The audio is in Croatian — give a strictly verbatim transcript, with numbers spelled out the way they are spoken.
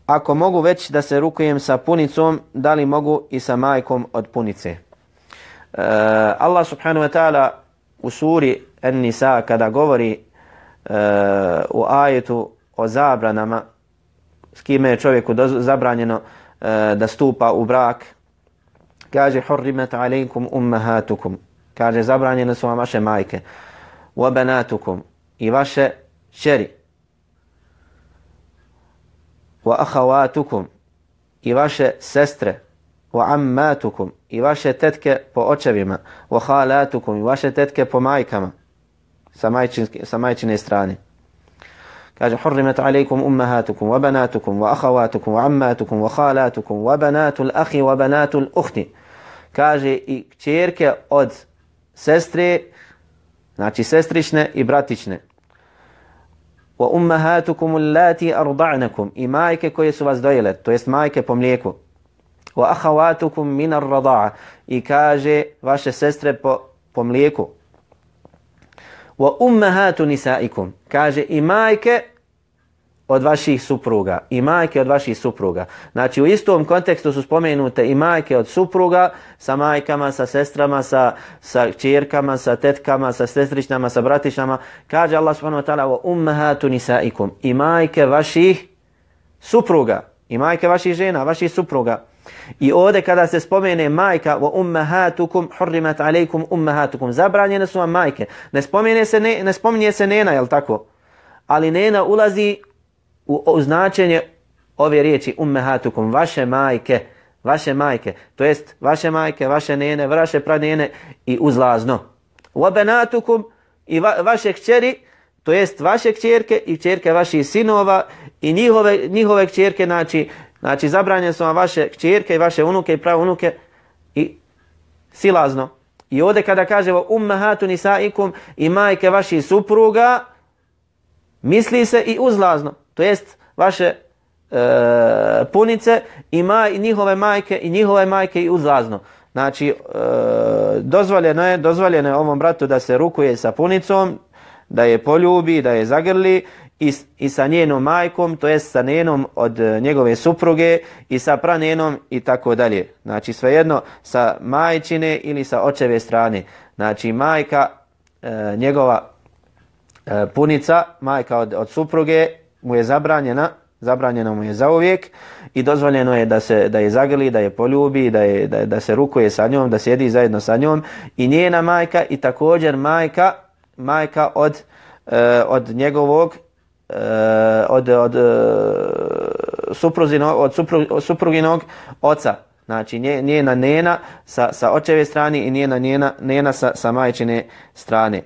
ako mogu već da se rukujem sa punicom, da li mogu i sa majkom od punice? Uh, Allah subhanahu wa ta'ala u suri An-Nisa kada govori uh, u ajetu o zabranama, s kime je čovjeku zabranjeno uh, da stupa u brak, kaže hurrimat alejkum ummahatukum, kaže zabranjene su vam vaše majke, wa banatukum, i vaše kćeri, wa akhawatukum, i vaše sestre, wa ammatukum, i vaše tetke po očevima, wa khalatukum, i vaše tetke po majkama sa, majčinske, sa majčine strane. Kaže hurrimat alejkum ummahatukum wa banatukum wa akhawatukum wa ammatukum wa khalatukum wa banatul akhi wa banatul ukhti. Kaže i kćerke od sestre, znači sestrične i bratične. Wa ummahatukum allati arda'nakum, i majke koje su vas dojile, to jest majke po mlijeku. Wa akhawatukum min ar-rada'a, i kaže vaše sestre po, po mlijeku. Wa ummahatu nisaikum, kaže i majke od vaših supruga, i majke od vaših supruga. Znači u istom kontekstu su spomenute i majke od supruga sa majkama, sa sestrama, sa, sa kćerkama, sa tetkama, sa sestričnama, sa bratičnama. Kaže Allah subhanahu wa ta'ala wa ummahatu nisaikum, i majke vaših supruga, i majke vaših žena, vaših supruga. I ovdje kada se spomene majka wa ummahatukum hurrimat alejkum ummahatukum, zabranjene su vam majke. Ne spomene se ne, ne spominje se nena, jel tako? Ali nena ulazi u, u značenje ove riječi ummahatukum, vaše majke, vaše majke, to jest vaše majke, vaše nene, vaše pranene i uzlazno. Wa banatukum, i va, vaše kćeri, to jest vaše kćerke i kćerke vaših sinova i njihove, njihove kćerke, znači Znači, zabranjene su vam vaše kćerke i vaše unuke i pravunuke i silazno. I ovdje kada kažemo ummahatu nisaikum, i majke vaših supruga, misli se i uzlazno. To jest vaše e, punice i maj, njihove majke i njihove majke i uzlazno. Znači, e, dozvoljeno je, dozvoljeno je ovom bratu da se rukuje sa punicom, da je poljubi, da je zagrli, I, i sa njenom majkom, to jest sa nenom od njegove supruge i sa pranenom i tako dalje. Znači svejedno sa majčine ili sa očeve strane. Znači majka, e, njegova e, punica, majka od, od supruge mu je zabranjena, zabranjeno mu je zauvijek i dozvoljeno je da se da je zagrli, da je poljubi, da, je, da, da se rukuje sa njom, da sjedi zajedno sa njom i njena majka i također majka, majka od, e, od njegovog Uh, od, od, uh, supruzinog, od supru, supruginog oca. Znači njena nena sa, sa očeve strane i njena, njena nena sa, sa majčine strane.